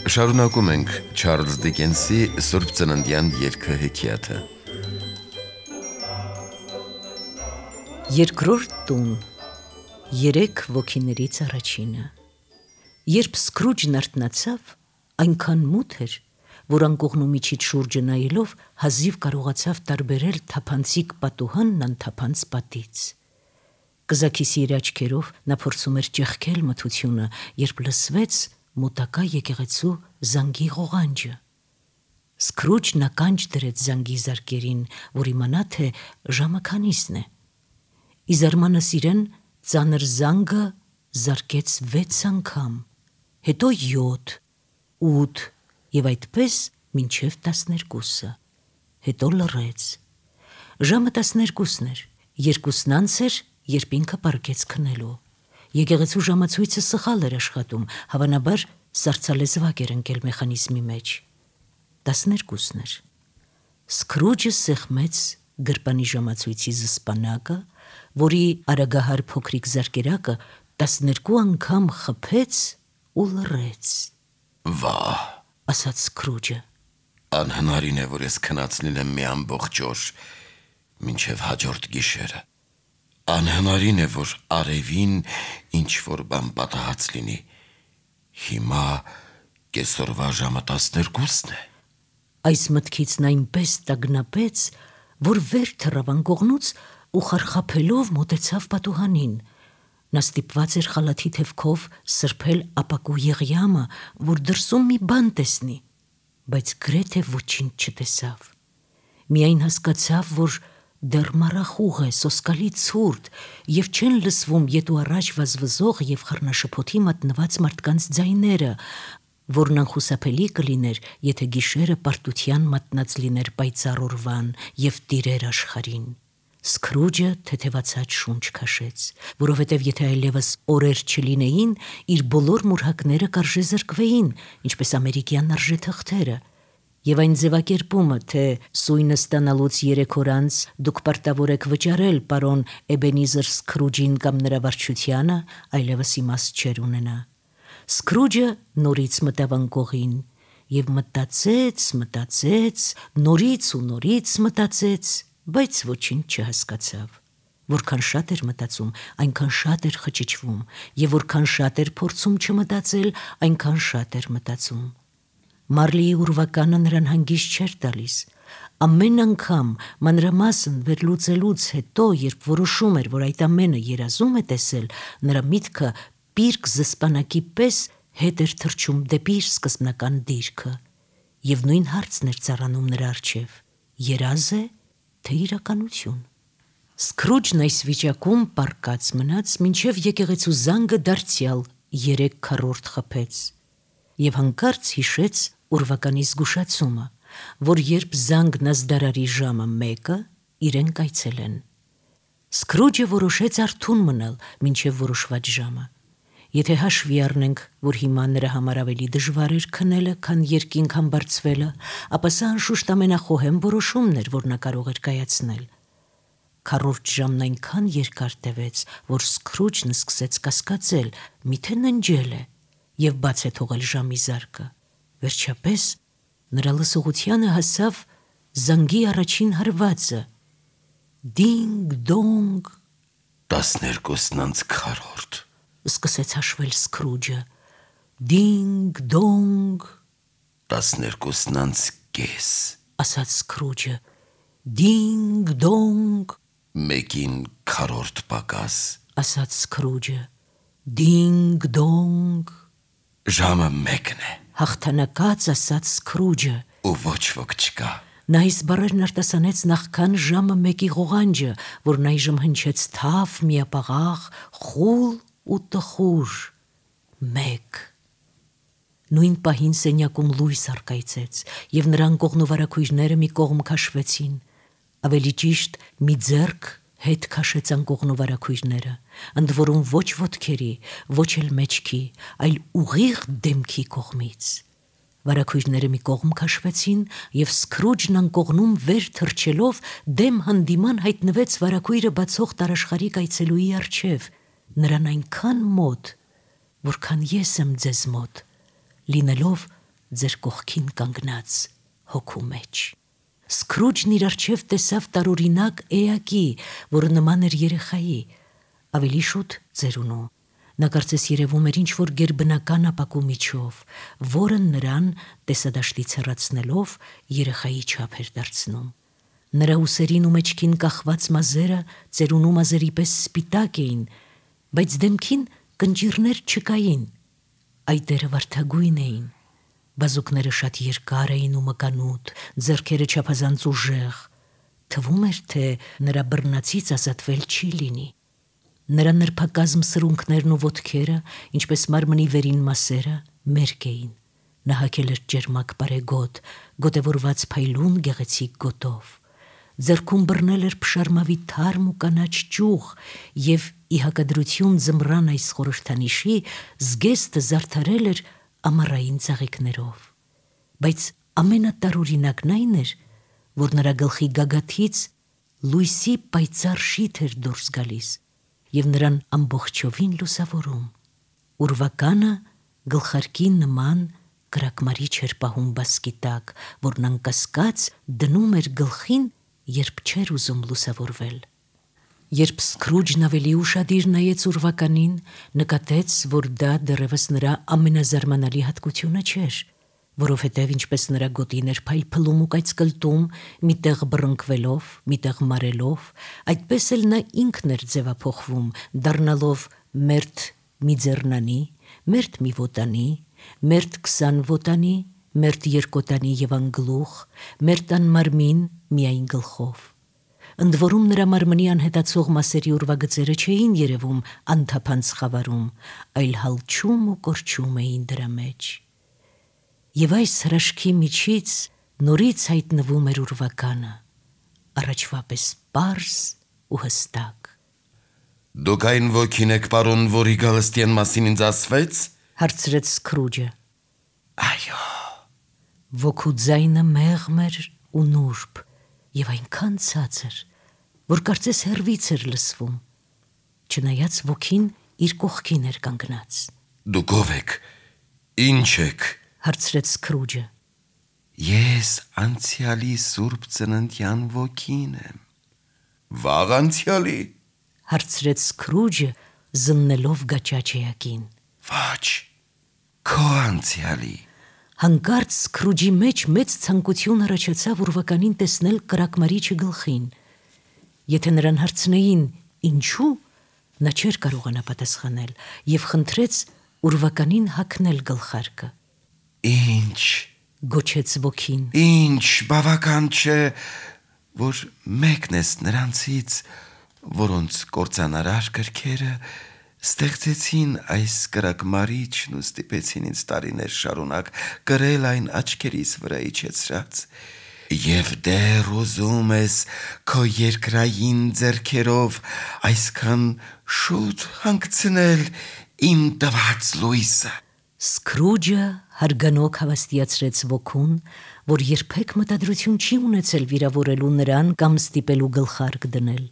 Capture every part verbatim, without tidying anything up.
Շարունակում ենք Չարլզ Դիկենսի Սուրբ Ծննդյան երգը հեքիաթը։ Երկրորդ տուն, երեք ոգիներից առաջինը։ Երբ Սքրուջն արթնացավ, այնքան մութ էր, որ անկողնու միջից շուրջը նայելով հազիվ կարողացավ տարբերել թափանցիկ պատուհանն անթափանց պատից։ Կզաքիսի իր աչքերով նա փորձում էր ճեղքել մթությունը, երբ լսվեց մոտակա եկեղեցու զանգի ղողանջը։ Սքրուջն ականջ դրեց զանգի զարկերին, որ իմանա, թե ժամը քանիսն է։ Ի զարմանս իրեն ծանր զանգը զարկեց վեց անգամ, հետո յոթ, ութ և այդպես մինչև տասներկուսը, հետո լռեց։ Ժամը տասներկուսն էր, երկուսն անց էր, երբ ինքը պառկեց քնելու։ Եկեղեցու ժամացույցը սխալ էր աշխատում, հավանաբար սառցալեզվակ էր ընկել մեխանիզմի մեջ։ Տասներկուսն էր։ Սքրուջը սեղմեց գրպանի ժամացույցի զսպանակը, որի արագահար փոքրիկ զարկերակը տասներկու անգամ խփեց ու լռեց։ Վահ, ասաց Սքրուջը։ Անհնարին է, որ ես քնած լինեմ մի ամբողջ օր, մինչև հաջորդ գիշերը։ Անհնարին է, որ արևին ինչ-որ բան պատահած լինի։ Հիմա կեսօրվա ժամը տասներկուսն է։ Այս մտքից նա այնպես տագնապեց, որ վեր թռավ անկողնուց ու խարխափելով մոտեցավ պատուհանին։ Նա ստիպված էր խալաթի թևքով սրբել ապակու եղյամը, որ դրսում մի բան տեսնի, բայց գրեթե ոչինչ չտեսավ։ Միայն հասկացավ, որ դեռ մառախուղ է, սոսկալի ցուրտ, և չեն լսվում ետ ու առաջ վազվզող և խառնաշփոթի մատնված մարդկանց ձայները, որն անխուսափելի կլիներ, եթե գիշերը պարտության մատնած լիներ պայծառ օրվան և տիրեր աշխարհին։ Սքրուջը թեթևացած շունչ քաշեց, որովհետև եթե այլևս օրեր չլինեին, իր բոլոր մուրհակները կարժե զրկվեին, ինչպես ամերիկյան արժեթղթերը, և այն ձևակերպումը, թե սույնը ստանալուց երեք օր անց դուք պարտավոր եք վճարել պարոն Էբենիզեր Սքրուջին կամ նրա վարչությանը, այլևս իմաստ չէր ունենա։ Սքրուջը նորից մտավ անկողին և մտածեց, մտածեց, նորից ու նորից մտածեց, բայց ոչինչ չհասկացավ։ Որքան շատ էր մտածում, այնքան շատ էր խճճվում, և որքան շատ էր փորձում չմտածել, այնքան շատ էր մտածում։ Մարլիի ուրվականը նրան հանգիստ չէր տալիս։ Ամեն անգամ մանրամասն վերլուծելուց հետո, երբ որոշում էր, որ այդ ամենը երազում է տեսել, նրա միտքը պիրկ զսպանակի պես հետ էր թռչում դեպի իր սկզբնական դիրքը, և նույն հարցն էր ծառանում նրա առջև. երազ է, թե իրականություն։ Սքրուջն այս վիճակում պառկած մնաց, մինչև եկեղեցու զանգը դարձյալ երեք քառորդ խփեց, և հանկարծ հիշեց ուրվականի զգուշացումը, որ երբ զանգն ազդարարի ժամը մեկը, իրեն կայցելեն։ Սքրուջը որոշեց արթուն մնալ մինչև որոշված ժամը։ Եթե հաշվի առնենք, որ հիմա նրա համար ավելի դժվար էր քնելը, քան երկինք համբարձվելը, ապա սա անշուշտ ամենախոհեմ որոշումն էր, որ նա կարող էր կայացնել։ Քառորդ ժամն այնքան երկար տևեց, որ Սքրուջն սկսեց կասկածել, միթե ննջել է և բաց է թողել ժամի զարկը։ Վերջապես նրա լսողությանը հասավ զանգի առաջին հարվածը. դինգ-դոնգ։ Տասներկուսն անց քառորդ, սկսեց հաշվել Սքրուջը։ Դինգ-դոնգ։ տասներկուսն անց կես, ասաց Սքրուջը։ Դինգ-դոնգ։ մեկին քառորդ պակաս, ասաց Սքրուջը։ Դինգ-դոնգ։ ժամը մեկն է, հաղթանակած ասաց Սքրուջը։ ու ոչ ոք չկա։ Նա այս բառերն արտասանեց նախքան ժամը մեկի ղողանջը, որն այժմ հնչեց թավ, միապաղաղ, խուլ ու տխուր։ Մեկ։ Նույն պահին սենյակում լույս առկայծեց, և նրա անկողնու վարագույրները մի կողմ քաշվեցին։ Ավելի ճիշտ, մի ձեռք հետ քաշեց անկողնու վարագույրները, ընդ որում ոչ ոտքերի, ոչ էլ մեջքի, այլ ուղիղ դեմքի կողմից։ Վարագույրները մի կողմ քաշվեցին, և Սքրուջն անկողնում վեր թռչելով դեմ հանդիման հայտնվեց վարագույրը բացող տարաշխարհիկ այցելուի առջև, նրան այնքան մոտ, որքան ես եմ ձեզ մոտ, լինելով ձեր կողքին կանգնած հոգու մեջ։ Սքրուջն իր առջև տեսավ տարօրինակ էակի, որը նման էր երեխայի, ավելի շուտ ծերունու։ Նա կարծես երևում էր ինչ-որ գերբնական ապակու միջով, որը նրան տեսադաշտից հեռացնելով երեխայի չափ էր դարձնում։ Նրա ուսերին ու մեջքին կախված մազերը ծերունու մազերի պես սպիտակ էին, բայց դեմքին կնճիռներ չկային, այտերը վարդագույն էին, բազուկները շատ երկար էին ու մկանուտ, ձեռքերը չափազանց ուժեղ, թվում էր, թե նրա բռնացից ազատվել չի լինի։ Նրա նրբակազմ սրունքներն ու ոտքերը, ինչպես մարմնի վերին մասերը, մերկ էին։ Նա հագել էր ջերմակ բարեգոտ, գոտևորված փայլուն գեղեցիկ գոտով։ Ձեռքում բռնել էր փշարմավի թարմ ու կանաչ ճյուղ և ի հակադրություն ձմռան այս խորհրդանիշի զգեստը զարդարել էր ամառային ծաղիկներով։ Բայց ամենատարօրինակն այն էր, որ նրա գլխի գագաթից լույսի պայծառ շիթ էր դուրս գալիս և նրան ամբողջովին լուսավորում։ Ուրվականը գլխարկի նման կրակմարիչ էր պահում բասկի տակ, որն անկասկած դնում էր գլխին, երբ չէր ուզում լուսավորվել։ Երբ Սքրուջն ավելի ուշադիր նայեց ուրվականին, նկատեց, որ դա դեռևս նրա ամենազարմանալի հատկությունը չէր, որովհետև ինչպես նրա գոտին էր փայլփլում ու կայծկլտում, միտեղ բռնկվելով, միտեղ մարելով, այդպես էլ նա ինքն էր ձևափոխվում, դառնալով մերթ մի ձեռնանի, մերթ մի ոտանի, մերթ քսան ոտանի, մերթ երկոտանի և անգլուխ, մերթ անմարմին միայն գլխով։ Ընդ որում նրա մարմնի անհետացող մասերի ուրվագծերը չէին երևում անթափանց խավարում, այլ հալչում ու կորչում էին դրա մեջ։ Եվ այս հրաշքի միջից նորից հայտնվում էր ուրվականը, առաջվա պես պարզ ու հստակ։ Դուք այն ոգին եք, պարոն, որի գալստյան մասին ինձ ասվեց, հարցրեց Սքրուջը։ Այո։ Ոգու ձայնը մեղմ էր ու նուրբ և այնքան ցածր, որ կարծես հեռվից էր լսվում, չնայած ոգին իր կողքին էր կանգնած։ Դուք ով եք, ինչ եք, հարցրեց Սքրուջը։ Ես անցյալի սուրբ ծննդյան ոգին եմ։ Վաղ անցյալի, հարցրեց Սքրուջը, զննելով գաճաճ էակին։ Ոչ, քո անցյալի։ Հանկարծ Սքրուջի մեջ մեծ ցանկություն առաջացավ ուրվականին տեսնել կրակմարիչը գլխին։ Եթե նրան հարցնեին ինչու, նա չէր կարողանա պատասխանել և խնդրեց ուրվականին հագնել գլխարկը։ Ինչ, գոչեց ոգին։ Ինչ, բավական չէ, որ մեկն ես նրանցից, որոնց կործանարար գրքերը ստեղծեցին այս կրակմարիչն ու ստիպեցին ինձ տարիներ շարունակ կրել այն աչքերիս վրա իջեցրած, և դեռ ուզում ես քո երկրային ձեռքերով այսքան շուտ հանգցնել իմ տված լույսը։ Սքրուջը հարգանոք հավաստիացրեց ոգուն, որ երբեք մտադրություն չի ունեցել վիրավորելու նրան կամ ստիպելու գլխարկ դնել։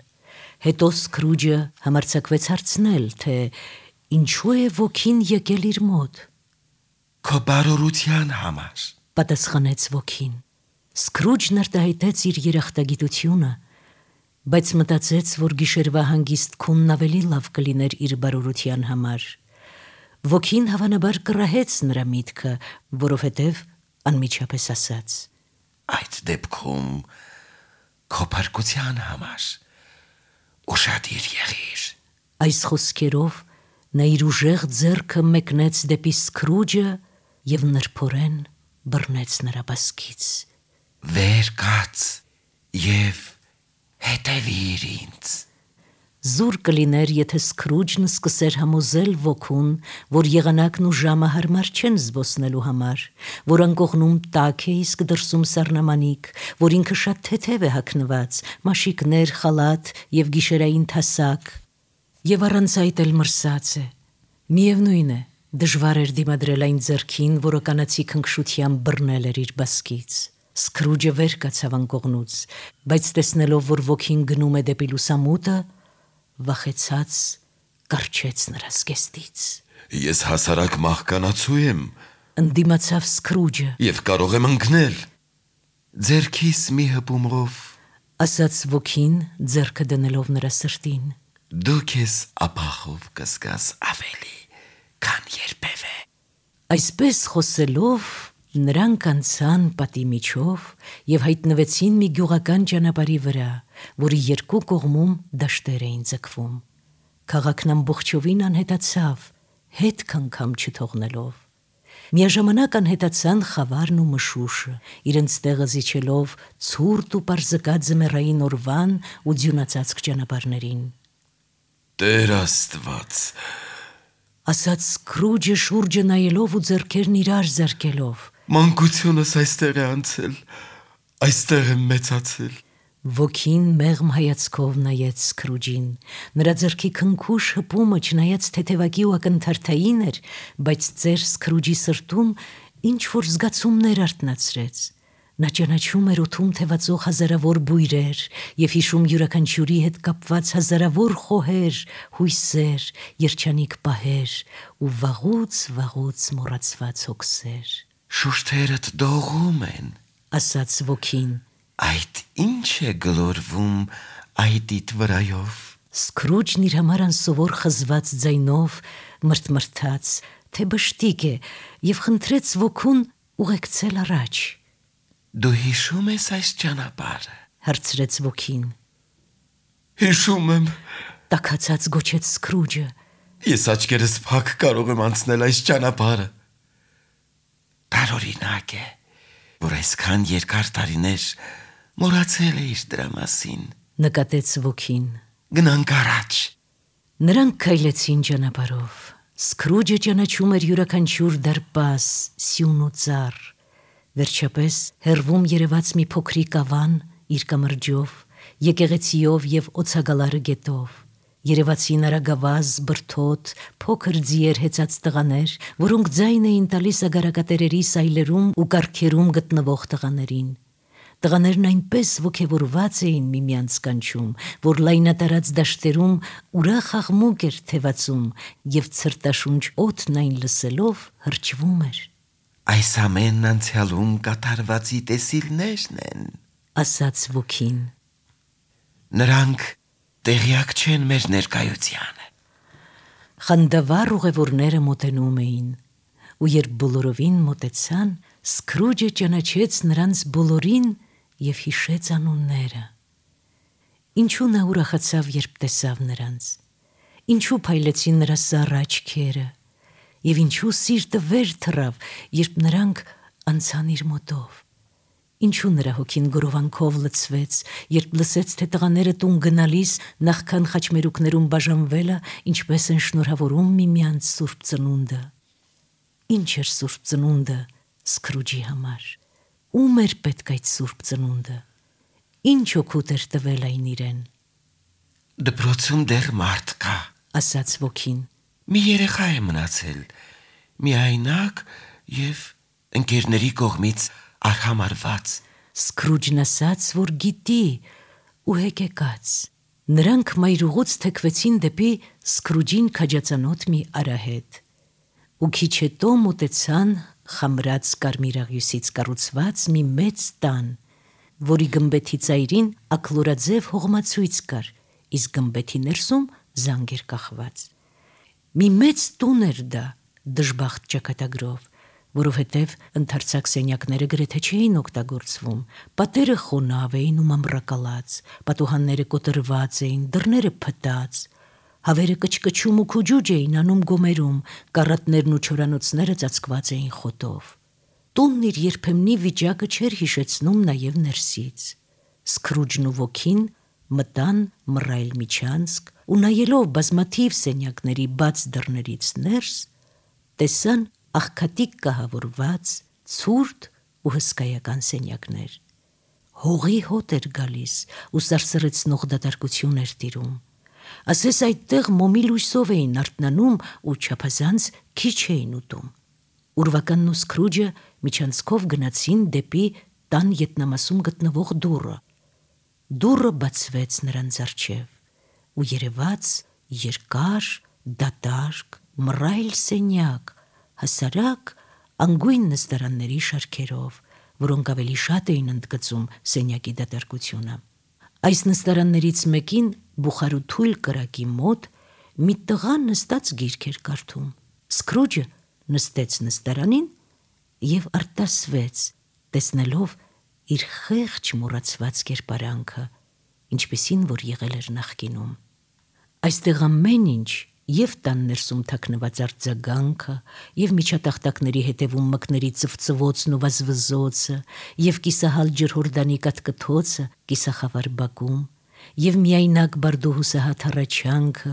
Հետո Սքրուջը համարձակվեց հարցնել, թե ինչու է ոգին եկել իր մոտ։ Քո բարօրության համար, պատասխանեց ոգին։ Սքրուջն արտահայտեց իր երախտագիտությունը, բայց մտածեց, որ գիշերվա հանգիստ քունն ավելի լավ կլիներ իր բարօրության համար։ Ոգին հավանաբար կռահեց նրա միտքը, որովհետև անմիջապես ասաց. Այդ դեպքում քո փրկության համար ուշադիր եղիր։ Այս խոսքերով նա իր ուժեղ ձեռքը մեկնեց դեպի Սքրուջը և նրբորեն բռնեց նրա բասկից։ Վեր կաց և հետևիր ինձ։ Զուր կլիներ, եթե Սքրուջն սկսեր համոզել ոգուն, որ եղանակն ու ժամը հարմար չեն զբոսնելու համար, որ անկողնում տաք է, իսկ դրսում սառնամանիք, որ ինքը շատ թեթև է հագնված, մաշիկներ, խալաթ և գիշերային թասակ, և առանց այդ էլ մրսած է։ Միևնույն է, դժվար էր դիմադրել այն ձեռքին, որը կանացի քնքշությամբ բռնել էր իր բասկից։ Սքրուջը վեր կացավ անկողնուց, բայց տեսնելով, որ ոգին գնում է դեպի լուսամուտը, վախեցած կառչեց նրա զգեստից։ Ես հասարակ մահկանացու եմ, Ընդդիմացավ Սկրուջը, Եվ կարող եմ ընկնել։ Ձերքիս մի հպումրով ասաց ոգին, ձեռքը դնելով նրա սրտին։ դու քեզ ապախով կզգաս ավելի, քան երբևէ։ Այսպես խոսելով նրանք անցան պատի միջով եւ հայտնվեցին մի գյուղական ճանապարհի վրա, որի երկու կողմում դաշտեր էին ձգվում։ Քաղաքն ամբողջովին անհետացավ, հետ քնքամ չթողնելով։ Միաժամանակ անհետացան խավարն ու մշուշը, իրենց տեղը զիջելով ցուրտ ու պարզկած ձմեռային օրվան ու ձյունածածկ ճանապարհներին։ Տեր Աստված, ասաց Սկրուջը շուրջը նայելով ու ձեռքերն իրար զարկելով։ մանկությունս այստեղ է անցել, այստեղ եմ մեծացել։ Ոգին մեղմ հայացքով նայեց Սկրուջին, նրա ձեռքի քնքուշ հպումը չնայած թեթևակի ու ակնթարթային էր, բայց ծեր Սկրուջի սրտում ինչ-որ զգացումներ արթնացրեց։ Նա ճանաչում էր օդում թևածող հազարավոր բույրեր և հիշում յուրաքանչյուրի հետ կապված հազարավոր խոհեր, հույսեր, երջանիկ պահեր ու վաղուց-վաղուց մոռացված հոգսեր։ Շուրթերդ դողում են, ասաց ոգին։ այդ ինչ է գլորվում այդիդ վրայով։ Սկրուջն իր համար անսովոր խզված ձայնով մրթմրթաց, թե բշտիկ է, և խնդրեց ոգուն ուղեկցել առաջ։ Դու հիշում ես այս ճանապարհը։ Հարցրեց ոգին։ Հիշում եմ, Տաքացած գոչեց Սկրուջը։ ես աչքերս փակ կարող եմ անցնել այս ճանապարհը։ Տարօրինակ է, որ այսքան երկար տարիներ մոռացել էիր դրա մասին։ Նկատեց ոգին։ Գնանք առաջ։ Նրանք քայլեցին ճանապարհով։ Սկրուջը ճանաչում էր յուրաքանչյուր դարպաս, սյուն ու ծառ։ Վերջապես հեռվում երևաց մի փոքրիկ ավան իր կամրջով, եկեղեցիով և օձագալարը գետով։ Երևացին արագավազ, բրդոտ, փոքր ձիեր հեծած տղաներ, որոնք ձայն էին տալիս ագարակատերերի սայլերում ու կառքերում գտնվող տղաներին։ Տղաներն այնպես ոգևորված էին միմյանց կանչում, որ լայնատարած դաշտերում ուրախ աղմուկ էր թևածում և ցրտաշունչ օդն այն լսելով հրճվում էր։ Այս ամենն անցյալում կատարվածի տեսիլներն են, ասաց ոգին։ Նրանք տեղյակ չեն մեր ներկայությանը։ Խանդավառ ուղևորները մոտենում էին, ու երբ բոլորովին մոտեցան, Սկրուջը ճանաչեց նրանց բոլորին և հիշեց անունները։ Ինչու նա ուրախացավ, երբ տեսավ նրանց, ինչու փայլեցին նրա սառը աչքերը, և ինչու սիրտը վեր թռավ, երբ նրանք անցան իր մոտով։ Ինչու նրա հոգին գորովանքով լցվեց, երբ լսեց, թե տղաները տուն գնալիս նախքան խաչմերուկներում բաժանվելը, ինչպես են շնորհավորում միմյանց սուրբ ծնունդը։ Ինչ էր սուրբ ծնունդը Սկրուջի համար։ Ում էր պետք այդ սուրբ ծնունդը։ Ինչ օգուտ էր տվել այն իրեն։ Դպրոցում դեռ մարդ կա, ասաց ոգին։ մի երեխա է մնացել, միայնակ և ընկերների կողմից արհամարված։ Սկրուջն ասաց, որ գիտի ու հեկեկաց։ Նրանք մայրուղուց թեքվեցին դեպի Սկրուջին քաջածանոթ մի արահետ։ Ու քիչ հետո մոտեցան խամրած կարմիրաղյուսից կառուցված մի մեծ տան, որի գմբեթի ծայրին աքլորաձև հողմացույց կար, իսկ գմբեթի ներսում զանգ էր կախված։ Մի մեծ տուն էր դա, դժբախտ ճակատագրով, որովհետև ընդարձակ սենյակները գրեթե չէին օգտագործվում, պատերը խոնավ էին ու մամռակալած, պատուհանները կոտրված էին, դռները փտած, հավերը կչկչում ու քուջուջ էին անում գոմերում, կառատներն ու չորանոցները ծածկված էին խոտով։ Տունն իր երբեմնի վիճակը չէր հիշեցնում նաև ներսից։ Սկրուջն ու ոգին մտան մռայլ միջանցք ու նայելով բազմաթիվ սենյակների բաց դռներից ներս, տեսան աղքատիկ կահավորված, ցուրտ ու հսկայական սենյակներ։ Հողի հոտ էր գալիս ու սարսռեցնող դատարկություն էր տիրում։ Ասես այդտեղ մոմի լույսով էին արթնանում ու չափազանց քիչ էին ուտում։ Ուրվականն ու Սկրուջը միջանցքով գնացին դեպի տան ետնամասում գտնվող դուռը։ Դուռը բացվեց նրանց առջև ու երևաց երկար, դատարկ, մռայլ սենյակ, հասարակ, անգույն նստարանների շարքերով, որոնք ավելի շատ էին ընդգծում սենյակի դատարկությունը։ Այս նստարաններից մեկին բուխարու թույլ կրակի մոտ մի տղա նստած գիրք էր կարդում։ Սկրուջը նստեց նստարանին և արտասվեց, տեսնելով իր խեղճ մոռացված կերպարանքը, ինչպիսին որ եղել էր նախկինում։ Այստեղ ամեն ինչ, և տան ներսում թաքնված արձագանքը, և միջատախտակների հետևում մկների ծվծվոցն ու վազվզոցը, և կիսահալ ջրհորդանի կտկտոցը կիսախավար բակում, և միայնակ բարդու հուսահատ հառաչանքը,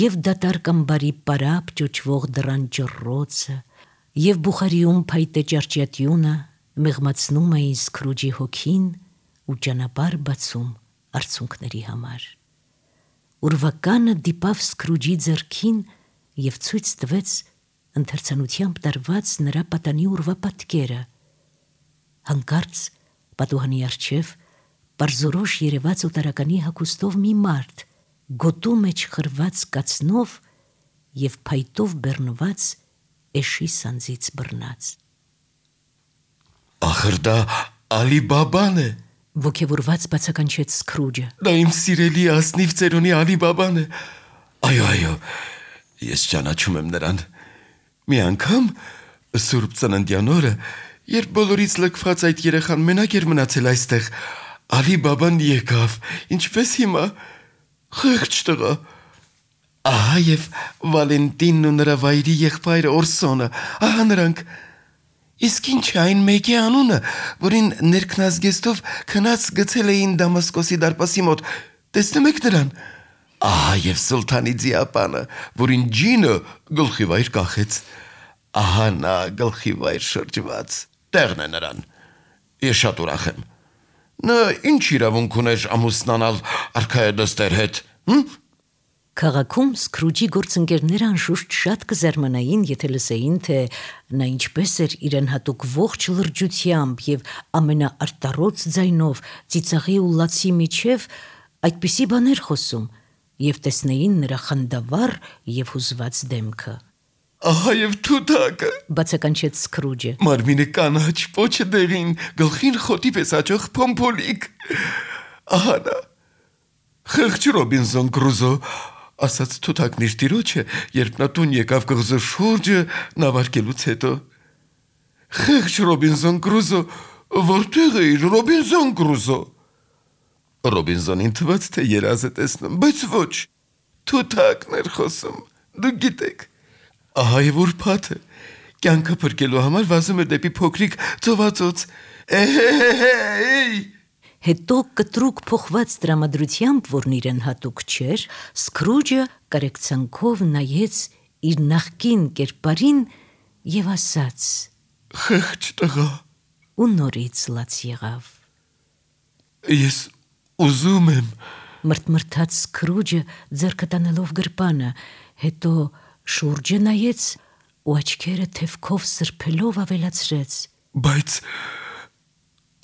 և դատարկ ամբարի պարապ ճոճվող դռան ճռռոցը, և բուխարիում փայտե ճարճյատյունը մեղմացնում էին Սկրուջի հոգին ու ճանապարհ բացում արցունքների համար։ Ուրվականը դիպավ Սկրուջի ձեռքին և ցույց տվեց ընթերցանությամբ տարված նրա պատանի օրվա պատկերը։ Հանկարծ պատուհանի առջև պարզորոշ երևաց օտարականի հագուստով մի մարդ, գոտու մեջ խրված կացնով և փայտով բեռնված էշի սանձից բռնած։ Ախր դա Ալի Բաբան է, ոգևորված բացականչեց Սկրուջը։ դա իմ սիրելի ասնիվ ծերունի Ալի Բաբան է։ Այո, այո, ես ճանաչում եմ նրան։ Մի անգամ Սուրբ Ծննդյան օրը, երբ բոլորից լքված այդ երեխան մենակ էր մնացել այստեղ, Ալի Բաբան եկավ, ինչպես հիմա, խեղճ տղա։ Ահա և Վալենտինն ու նրա վայրի եղբայրը Օրսոնը, ահա նրանք։ Իսկ ինչ է այն մեկի անունը, որին ներքնազգեստով քնած գցել էին Դամասկոսի դարպասի մոտ, տեսնում եք նրան։ Ահա և Սուլթանի ձիապանը, որին ջինը գլխի վայր կախեց։ Ահա նա գլխի վայր շրջված, տեղն է նրան։ Ես շատ ուրախ եմ։ Նա ինչ իրավունք ուներ ամուսնանալ արքայադստեր հետ, հմ։ Քաղաքում Սկրուջի գործընկերները անշուշտ շատ կզարմանային, եթե լսեին, թե նա ինչպես էր իրեն հատուկ ողջ լրջությամբ և ամենաարտառոց ձայնով ծիծաղի ու լացի միջև այդպիսի բաներ խոսում, և տեսնեին նրա խանդավառ և հուզված դեմքը։ Ահա և թութակը, բացականչեց Սկրուջը։ Մարմինը կանաչ, պոչը դեղին, գլխին խոտի պես աճող փոմփոլիկ։ Ահա նա, խեղճ Ռոբինզոն Կրուզո, ասաց թութակն իր տիրոջը, երբ նա տուն եկավ կղզու շուրջը նավարկելուց հետո։ Խեղճ Ռոբինզոն Կրուզո, որտե՞ղ էիր, Ռոբինզոն Կրուզո։ Ռոբինզոնին թվաց, թե երազ է տեսնում, բայց ոչ, թութակն էր խոսում, դուք գիտեք։ Ահա և ուրբաթը, կյանքը փրկելու համար վազում էր դեպի փոքրիկ ծովածոց։ Էհ-հե-հե-հե-й։ Հետո կտրուկ փոխված տրամադրությամբ, որն իրեն հատուկ չէր, Սկրուջը կարեկցանքով նայեց իր նախկին կերպարին և ասաց. Խեղճ տղա։ Ու նորից լաց եղավ։ Ես ուզում եմ, մրթմրթաց Սկրուջը ձեռքը տանելով գրպանը, հետո շուրջը նայեց ու աչքերը թևքով սրբելով ավելացրեց. բայց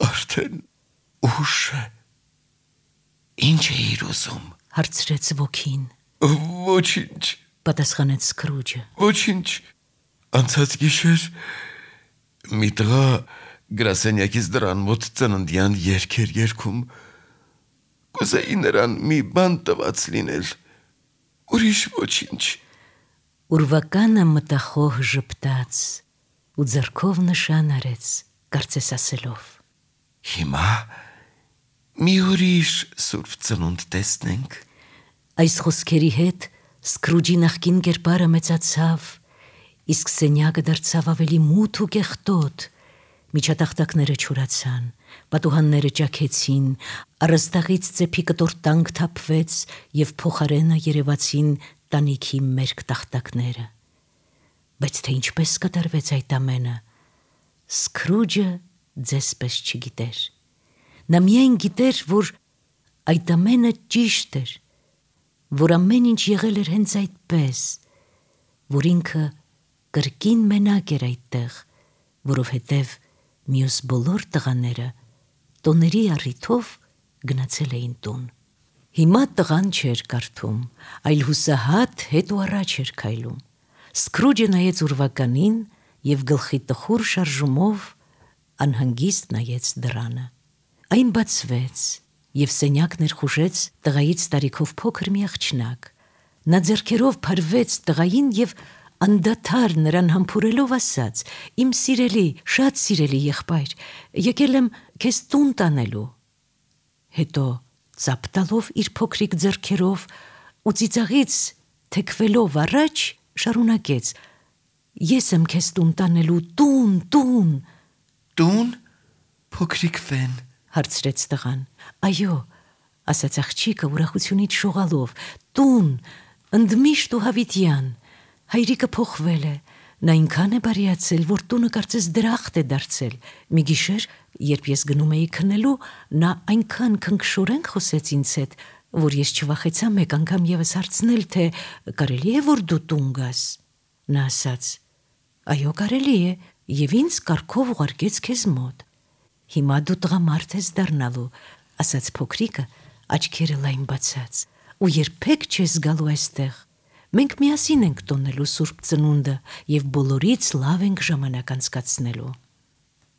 արդեն ուշ է։ Ինչ էիր ուզում։ հարցրեց ոգին։ Ոչինչ, պատասխանեց Սկրուջը։ ոչինչ։ Անցած գիշեր մի տղա գրասենյակից դռան մոտ ծննդյան երգ էր երգում։ Կուզեի նրան մի բան տված լինել, ուրիշ ոչինչ։ Ուրվականը մտախոհ ժպտաց ու ձեռքով նշան արեց, կարծես ասելով. Հիմա մի ուրիշ Սուրբ Ծնունդ տեսնենք։ Այս խոսքերի հետ Սկրուջի նախկին կերպարը մեծացավ, իսկ սենյակը դարձավ ավելի մութ ու կեղտոտ։ Միջատախտակները չորացան, պատուհանները ճաքեցին, առաստաղից ծեփի կտորտանք թափվեց և փոխարենը երևացին տանիքի մերկ տախտակները։ Բայց թե ինչպես կատարվեց այդ ամենը, Սկրուջը ձեսպես չգիտեր։ Նա միայն գիտեր, որ այդ ամենը ճիշտ էր, որ ամեն ինչ եղել էր հենց այդպես, որ ինքը կրկին մենակ էր այդտեղ, որովհետև մյուս բոլոր տղաները տոների առիթով գնացել էին տուն։ Հիմա տղան չէր կարդում, այլ հուսահատ հետ ու առաջ էր քայլում։ Սկրուջը նայեց ուրվականին եւ գլխի տխուր շարժումով անհանգիստ նայեց դռանը։ Այն բացվեց եւ սենյակ ներխուժեց տղայից տարիքով փոքր մի աղջնակ։ Նա ձեռքերով փարվեց տղային եւ անդադար նրան համբուրելով ասաց. «Իմ սիրելի, շատ սիրելի եղբայր, եկել եմ քեզ տուն տանելու»։ Հետո ծափ տալով իր փոքրիկ ձեռքերով ու ծիծաղից թեքվելով առաջ շարունակեց. «Ես եմ քեզ տուն տանելու, տուն, տուն»։ Տուն, փոքրիկ Ֆեն, հարցրեց տղան։ Այո, ասաց աղջիկը ուրախությունից շողալով, տուն, ընդմիշտ ու հավիտյան։ Հայրիկը փոխվել է, նա այնքան է բարիացել, որ տունը կարծես դրախտ է դարձել։ Մի գիշեր, երբ ես գնում էի քնելու, նա այնքան քնքշորեն խոսեց ինձ հետ, որ ես չվախեցա մեկ անգամ եւս հարցնել, թե կարելի է որ դու տուն գաս։ Նա ասաց. «Այո, կարելի է», եւ ինձ կարգով ուղարկեց քեզ մոտ։ Հիմա դու տղամարդ ես դառնալու, ասաց փոքրիկը, աչքերը լայն բացած, ու երբեք չես գալու այստեղ։ Մենք միասին ենք տոնելու Սուրբ Ծնունդը եւ բոլորից լավ ենք ժամանակ անցկացնելու։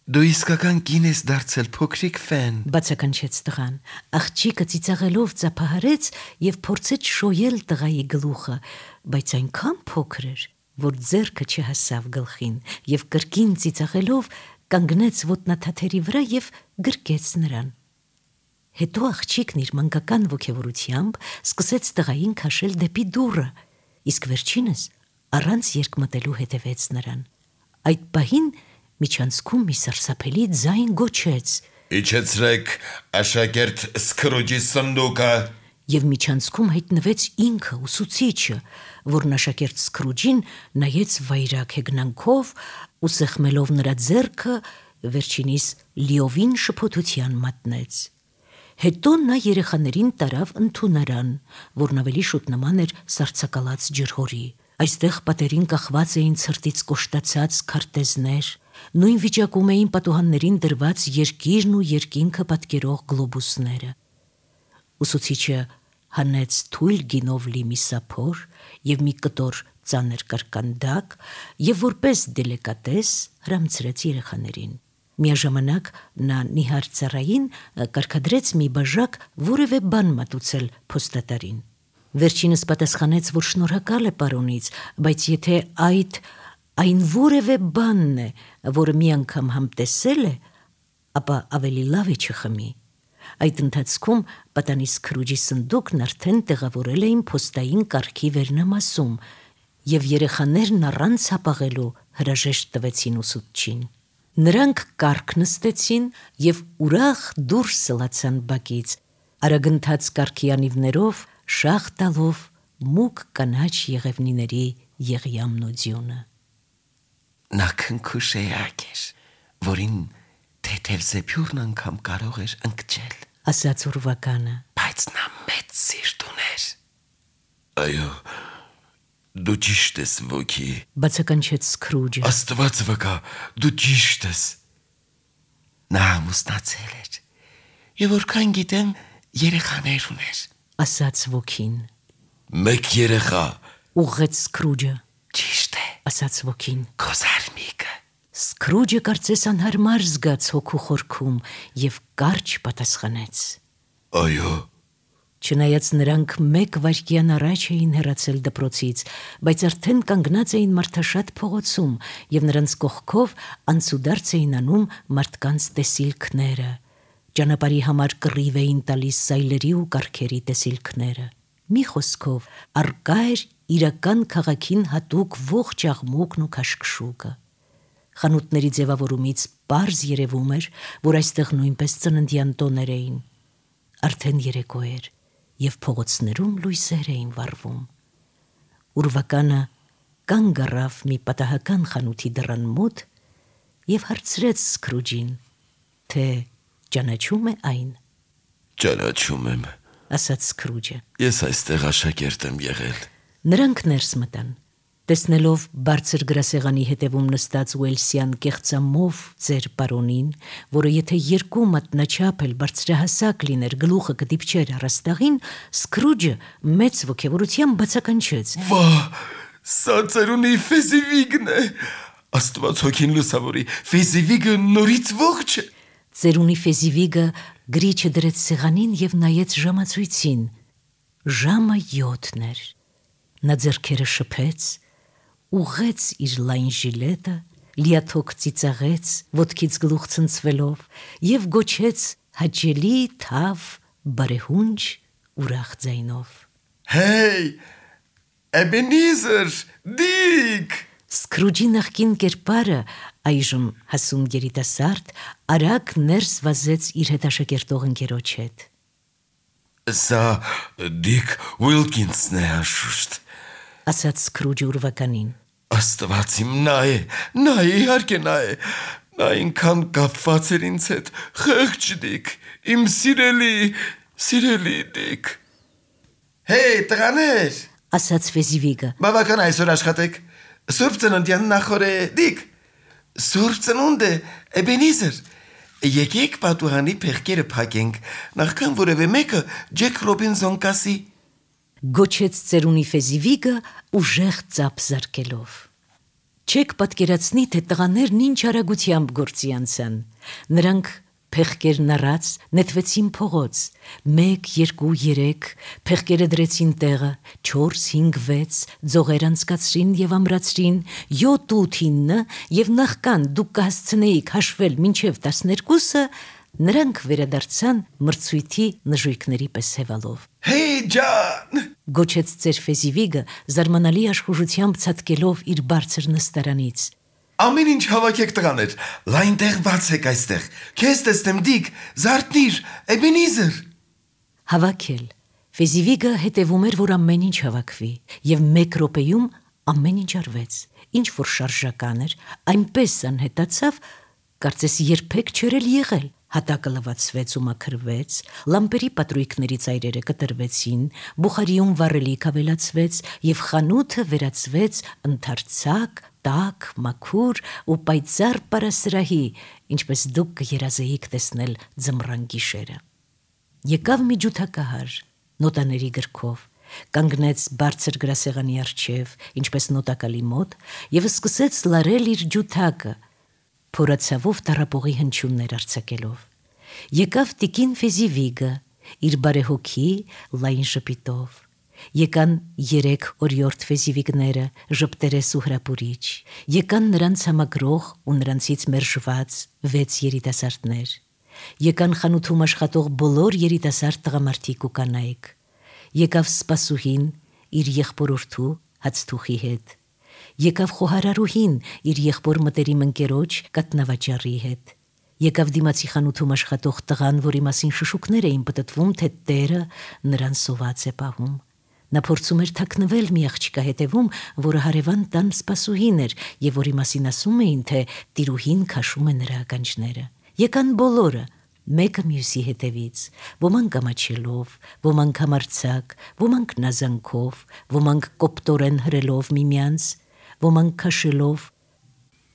Դու իսկական կին ես դարձել, փոքրիկ Ֆեն, բացականչեց տղան։ Աղջիկը ծիծաղելով ծափահարեց եւ փորձեց շոյել տղայի գլուխը, բայց այնքան փոքր էր, որ ձեռքը չհասավ գլխին եւ կրկին ծիծաղելով կանգնեց ոտնաթաթերի վրա եւ գրկեց նրան։ Հետո աղջիկն իր մանկական ոգևորությամբ սկսեց տղային քաշել դեպի դուռը, իսկ վերջինս առանց երկմտելու հետևեց նրան։ Այդ պահին միջանցքում մի սարսափելի ձայն գոչեց. «Իջեցրեք աշակերտ Սկրուջի սնդուկը»։ Եվ միջանցքում հայտնվեց ինքը ուսուցիչը, որն աշակերտ Սկրուջին նայեց վայրագ հեգնանքով ու սեղմելով նրա ձեռքը վերջինիս լիովին շփոթության մատնեց։ Հետո նա երեխաներին տարավ ընդունարան, որն ավելի շուտ նման էր սառցակալած ջրհորի։ Այստեղ պատերին կախված էին ցրտից կոշտացած քարտեզներ, նույն վիճակում էին պատուհաններին դրված երկիրն ու երկինքը պատկերող գլոբուսները։ Ուսուցիչը հանեց թույլ գինով լի մի սափոր եւ մի կտոր ծանր կարկանդակ եւ որպես դելիկատես հրամցրեց երեխաներին։ Միաժամանակ նա նիհար ծառային կարգադրեց մի բաժակ որևէ բան մատուցել փոստատարին։ Վերջինս պատասխանեց, որ շնորհակալ է պարոնից, բայց եթե այդ այն որևէ բանն է, որը մի անգամ համտեսել է, ապա ավելի լավ է չխմի։ Այդ ընթացքում պատանի Սկրուջի սնդուկն արդեն տեղավորել էին փոստային կարգի վերնամասում, եւ երեխաներն առանց հապաղելու հրաժեշտ տվեցին ուսուցչին։ Նրանք կարգ նստեցին եւ ուրախ դուրս սլացան բակից, արագընթաց կարգի անիվներով շաղ տալով մուգ կանաչ եղևնիների եղյամն ու ձյունը։ Նա քնքուշեակ էր, որին թեթև զեփյուրն անգամ կարող էր ընկճել, ասաց ուրվականը։ բայց նա մեծ սիրտ ուներ։ Այո, դու ճիշտ ես, ոգի, բացականչեց Սկրուջը։ Աստված վկա, դու ճիշտ ես։ Նա ամուսնացել էր եւ որքան գիտեմ երեխաներ ուներ, ասաց ոգին։ Մեկ երեխա, ուղղեց Սկրուջը։ ճիշտ է, ասաց ոգին։ քո զարմիկը։ Սկրուջը կարծես անհարմար զգաց հոգու խորքում եւ կարճ պատասխանեց. Այո։ Չնայած նրանք մեկ վայրկյան առաջ էին հեռացել դպրոցից, բայց արդեն կանգնած էին մարդաշատ փողոցում եւ նրանց կողքով անցուդարձ էին անում մարդկանց տեսիլքները։ Ճանապարհի համար կռիվ էին տալիս սայլերի ու կառքերի տեսիլքները։ Մի խոսքով, առկա էր իրական քաղաքին հատուկ ողջ աղմուկն ու քաշքշուկը։ Խանութների ձևավորումից պարզ երևում էր, որ այստեղ նույնպես ծննդյան տոներ էին։ Արդեն երեկո էր, եւ փողոցներում լույսեր էին վառվում։ Ուրվականը կանգ առավ մի պատահական խանութի դռան մոտ եւ հարցրեց Սկրուջին, թե ճանաչում է այն։ Ճանաչում եմ, ասաց Սկրուջը։ Ես այստեղ աշակերտ եմ եղել։ Նրանք ներս մտան։ Տեսնելով բարձր գրասեղանի հետևում նստած ուելսյան կեղծամով ձեր պարոնին, որը եթե երկու մատնաչափ էլ բարձրահասակ լիներ, գլուխը կդիպչեր առաստաղին, Սկրուջը մեծ ոգևորությամբ բացականչեց. Վա, սա ծերունի Ֆեզիվիգն է, Աստված հոգին լուսավորի, Ֆեզիվիգը նորից ողջ է։ Ծերունի Ֆեզիվիգը գրիչը դրեց սեղանին եւ նայեց ժամացույցին։ Ժամը յոթն էր։ Նա ձեռքերը շփեց, ուղղեց իր լայն ժիլետը, լիաթոք ծիծաղեց, ոտքից գլուխ ցնցվելով եւ գոչեց հաճելի թավ բարեհունչ ուրախ ձայնով. Հեյ, Էբենիզեր, Դիկ։ Սկրուջի նախկին կերպարը, այժմ հասուն երիտասարդ, արագ ներս վազեց իր հետաշակերտող ընկերոջ հետ։ Սա Դիկ Ուիլկինսն է հաշուշտ, ասաց Սկրուջը ուրվականին։ Աստված իմ նա է, նա է, իհարկե նա է, նա ինքան կապված էր ինձ հետ, խեղճ Դիկ, իմ սիրելի, սիրելի Դիկ։ Հեյ, տղաներ, ասաց Ֆեզիվիգը։ բավական այսօր աշխատեք, Սուրբ ծննդյան նախօր է Դիկ, Սուրբ ծնունդ է Էբենիզեր, եկեք պատուհանի փեղկերը փակենք, նախքան որևէ մեկը Ջեք Ռոբինսոն կասի։ Գոչեց ծերունի Ֆեզիվիգը ուժեղ ծափ զարկելով։ Չեք պատկերացնի, թե տղաներն ինչ արագությամբ գործի անցան։ Նրանք փեղկերն առած նետվեցին փողոց, մեկ, երկու, երեք, փեղկերը դրեցին տեղը, չորս, հինգ, վեց, ձողեր անցկացրին եւ ամրացրին, յոթ, ութ, ինը եւ նախքան դուք կհասցնեիք հաշվել մինչեւ տասներկուսը, նրանք վերադարձան մրցույթի նժույգների պես հևալով։ Հեյ ջան, գոչեց ծեր Ֆեզիվիգը զարմանալի աշխուժությամբ ցածկելով իր բարձր նստարանից։ Ամեն ինչ հավաքեք տղաներ, լայն տեղ բացեք այստեղ, քեզ տեսնեմ Դիկ, զարթնիր, Էբենիզեր։ Հավաքել։ Ֆեզիվիգը հետևում էր, որ ամեն ինչ հավաքվի, եւ մեկ րոպեում ամեն ինչ արվեց, ինչ որ շարժական էր, այնպես անհետացավ, կարծես երբեք չէր էլ եղել։ Հատակը լվացվեց ու մաքրվեց, լամպերի պատրույքների ծայրերը կտրվեցին, բուխարիում վառելիք ավելացվեց եւ խանութը վերածվեց ընդարձակ, տաք, մաքուր ու պայծառ պարասրահի, ինչպես դուք կերազեիք տեսնել ձմռան գիշերը։ Եկավ մի ջութակահար, նոտաների գրքով, կանգնեց բարձր գրասեղանի առջև, ինչպես նոտակալի մոտ, եւ սկսեց լարել իր ջութակը, փորացավով տառապողի հնչյուններ արձակելով։ Եկավ տիկին Ֆեզիվիգը, իր բարեհոգի լայն ժպիտով։ Եկան երեք օրիորդ Ֆեզիվիգները, ժպտերես ու հրապուրիչ։ Եկան նրանց համագրող ու նրանցից մերժված վեց երիտասարդներ։ Եկան խանութում աշխատող բոլոր երիտասարդ տղամարդիկ ու կանայք։ Եկավ սպասուհին իր եղբորորդու հացթուխի հետ։ Եկավ խոհարարուհին իր եղբոր մտերիմ ընկերոջ կատնավաճառի հետ։ Եկավ դիմացի խանութում աշխատող տղան, որի մասին շշուկներ էին պտտվում, թե տերը նրան սոված է պահում։ Նա փորձում էր թաքնվել մի աղջկա հետևում, որը հարևան տան սպասուհին էր եւ որի մասին ասում էին, թե տիրուհին քաշում է նրա ականջները։ Եկան բոլորը, մեկը մյուսի հետևից, ոմանք ամաչելով, ոմանք համարձակ, ոմանք նազանքով, ոմանք կոպտորեն հրելով միմյանց, ոմանք քաշելով։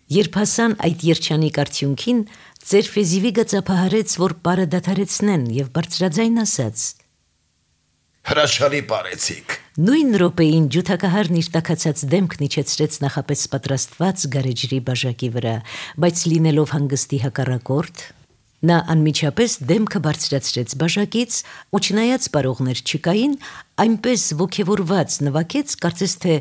Երբ հասան այդ երջանիկ արդյունքին, ծեր Ֆեզիվիգը ծափահարեց, որ պարը դադարեցնեն եւ բարձրաձայն ասաց. Հրաշալի պարեցիք։ Նույն րոպեին ջութակահարն իր տաքացած դեմքն իջեցրեց նախապես պատրաստված գարեջրի բաժակի վրա, բայց լինելով հանգստի հակառակորդ, նա անմիջապես դեմքը բարձրացրեց բաժակից ու չնայած պարողներ չկային, այնպես ոգևորված նվագեց, կարծես թե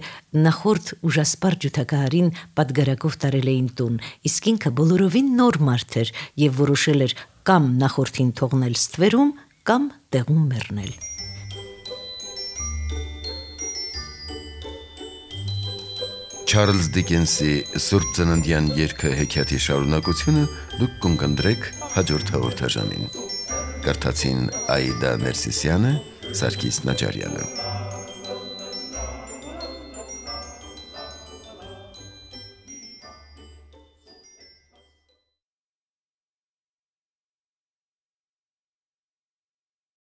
նախորդ ուժասպառ ջութակահարին պատգարակով տարել էին տուն, իսկ ինքը բոլորովին նոր մարդ էր եւ որոշել էր կամ նախորդին թողնել ստվերում, կամ տեղում մեռնել։ Չարլզ Դիկենսի Սուրբ ծննդյան երգը հեքիաթի շարունակությունը դուք կընկնդրեք հաջորդ հաղորդաշարին։ Կարդացին Աիդա Ներսիսյանը, Սարգիս Նաջարյանը։